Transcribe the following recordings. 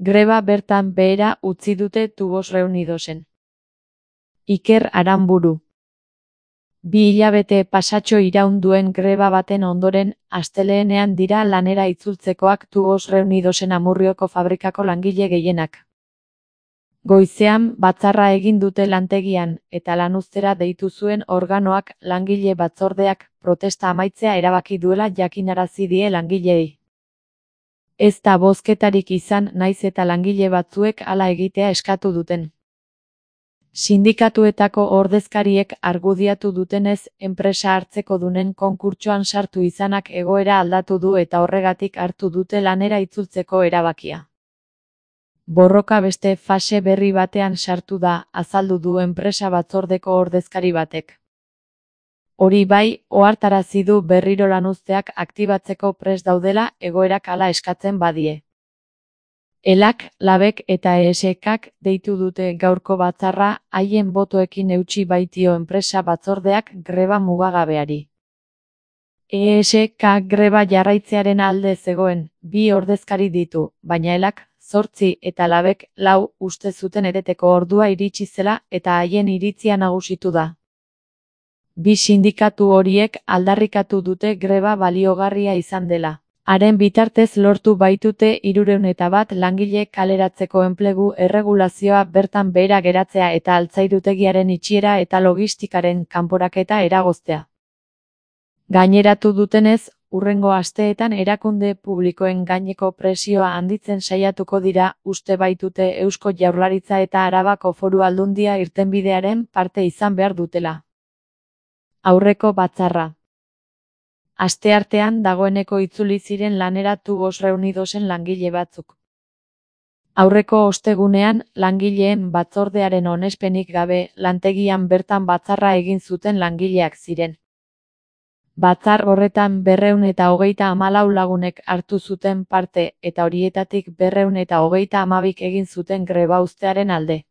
Greba bertan behera utzi dute Tubos Reunidosen. Iker Aranburu. 2 hilabete pasatxo iraun duen greba baten ondoren, astelehenean dira lanera itzultzekoak Tubos Reunidosen Amurrioko fabrikako langile gehienak. Goizean batzarra egin dute lantegian, eta lanuztera deitu zuen organoak langile batzordeak protesta amaitzea erabaki duela jakinarazi die langileei. Ez da bozketarik izan naiz eta langile batzuek hala egitea eskatu duten. Sindikatuetako ordezkariek argudiatu dutenez, enpresa hartzekodunen konkurtsoan sartu izanak egoera aldatu du eta horregatik hartu dute lanera itzultzeko erabakia. Borroka beste fase berri batean sartu da, azaldu du enpresa batzordeko ordezkari batek. Hori bai, ohartarazi du berriro lanuzteak aktibatzeko prest daudela egoerak hala eskatzen badie. Elak, Labek eta ESKak deitu dute gaurko batzarra, haien botoekin eutsi baitio enpresa batzordeak greba mugagabeari. ESK greba jarraitzearen alde zegoen, 2 ordezkari ditu, baina Elak, 8 eta Labek, 4 uste zuten ereteko ordua iritsi zela eta haien iritzia nagusitu da. 2 sindikatu horiek aldarrikatu dute greba baliogarria izan dela. Haren bitartez lortu baitute 301 langile kaleratzeko enplegu erregulazioa bertan behera geratzea eta altzairutegiaren itxiera eta logistikaren kanporaketa eragoztea. Gaineratu dutenez, hurrengo asteetan erakunde publikoen gaineko presioa handitzen saiatuko dira, uste baitute Eusko Jaurlaritza eta Arabako Foru Aldundia irtenbidearen parte izan behar dutela. Aurreko batzarra. Asteartean dagoeneko itzuli ziren lanera Tubos Reunidosen langile batzuk. Aurreko ostegunean, langileen batzordearen onespenik gabe, lantegian bertan batzarra egin zuten langileak ziren. Batzar horretan 234 lagunek hartu zuten parte eta horietatik 232 egin zuten greba uztearen alde.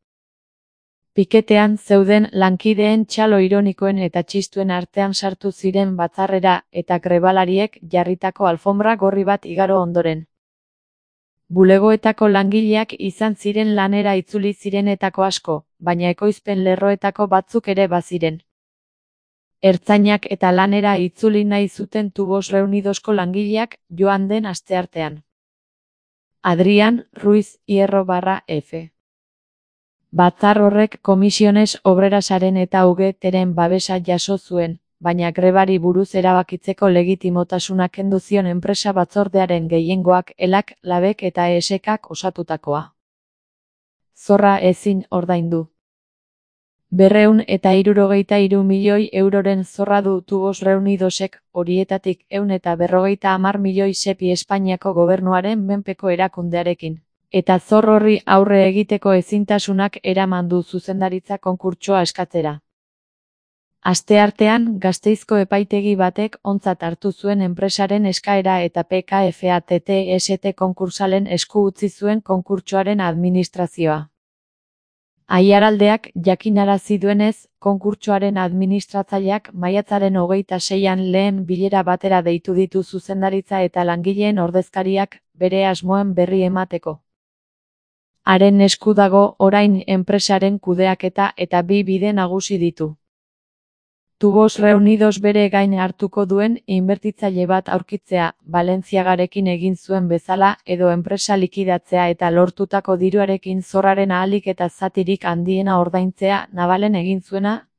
Piketean zeuden lankideen txalo ironikoen eta txistuen artean sartu ziren batzarrera eta grebalariek jarritako alfombra gorri bat igaro ondoren. Bulegoetako langileak izan ziren lanera itzuli zirenetako asko, baina ekoizpen lerroetako batzuk ere baziren. Ertzainak eta lanera itzuli nahi zuten Tubos Reunidosko langileak joan den asteartean. Adrián Ruiz Hierro/F. Batzar horrek Comisiones Obrerasaren eta UGT-ren babesa jaso zuen, baina grebari buruz erabakitzeko legitimotasuna kendu zion enpresa batzordearen gehiengoak Elak, Labek eta ESKak osatutakoa. Zorra ezin ordaindu. 263 milioi euroren zorra du Tubos Reunidosek, horietatik 150 milioi sepi Espainiako gobernuaren menpeko erakundearekin. Eta zor horri aurre egiteko ezintasunak eraman du zuzendaritza konkurtsoa eskatzera. Asteartean, Gasteizko epaitegi batek ontzat hartu zuen enpresaren eskaera eta PKFATT-ST konkursalen esku utzi zuen konkurtsoaren administrazioa. Aiaraldeak jakinarazi duenez, konkurtsoaren administratzaileak maiatzaren 26an lehen bilera batera deitu ditu zuzendaritza eta langileen ordezkariak bere asmoen berri emateko. Haren esku dago orain enpresaren kudeaketa eta 2 bide nagusi ditu. Tubos Reunidos bere gain hartuko duen inbertitzaile bat aurkitzea, Valentziagarekin egin zuen bezala, edo enpresa likidatzea eta lortutako diruarekin zorraren ahalik eta zatirik handiena ordaintzea Navalen egin zuena.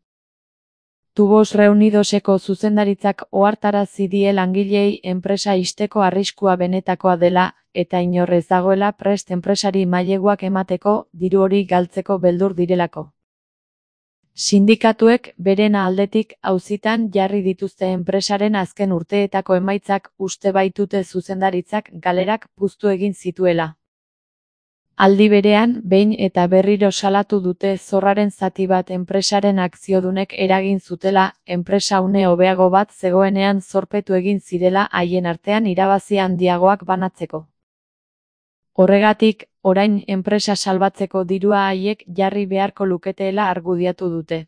Tubos Reunidoseko zuzendaritzak ohartarazi die langileei enpresa ixteko arriskua benetakoa dela, eta inor ez dagoela prest enpresari maileguak emateko, diru hori galtzeko beldur direlako. Sindikatuek beren aldetik auzitan jarri dituzte enpresaren azken urteetako emaitzak uste baitute zuzendaritzak galerak puztu egin zituela. Aldi berean, behin eta berriro salatu dute zorraren zati bat enpresaren akziodunek eragin zutela, enpresa une hobeago bat zegoenean zorpetu egin zirela haien artean irabazi handiagoak banatzeko. Horregatik, orain enpresa salbatzeko dirua haiek jarri beharko luketeela argudiatu dute.